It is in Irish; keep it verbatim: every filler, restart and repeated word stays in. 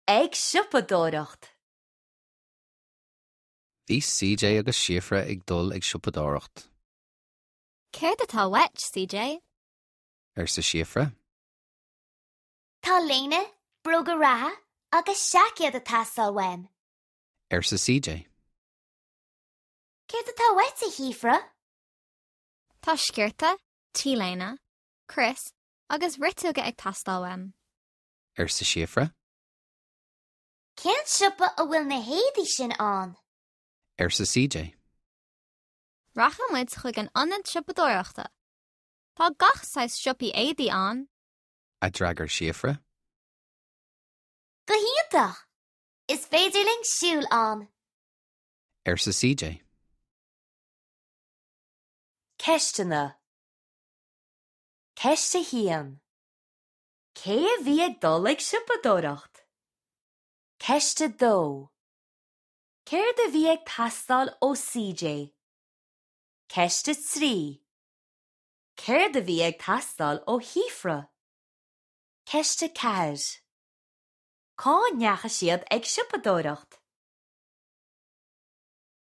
Ag siopadóireacht. Bhí CJ agus Síofra ag dul ag siopadóireacht, Céard atá uait, CJ? arsa Síofra. Tá léine, bróga reatha agus seaicéad ag teastáil uaim. arsa CJ. Céard atá uait a Shíofra? Tá sciorta, T-léine, crios agus riteoga ag teastáil uaim. arsa Síofra. Cén siopa a bhfuil na héadaí sin ann? arsa CJ. Rachaidh muid chuig an ionad siopadóireachta. Tá gach saghas siopaí éadaí ann, a d'fhreagair Síofra. Go hiontach! Is féidir linn siúl ann. arsa CJ. Ceisteanna. Ceist a haon. Cé a bhí ag dul ag siopadóireacht? Ceist a dó. Céard a bhí ag teastáil ó CJ? Ceist a trí. Céard a bhí ag teastáil ó Shíofra? Ceist a ceathair. Cá ndeachaigh siad ag siopadóireacht?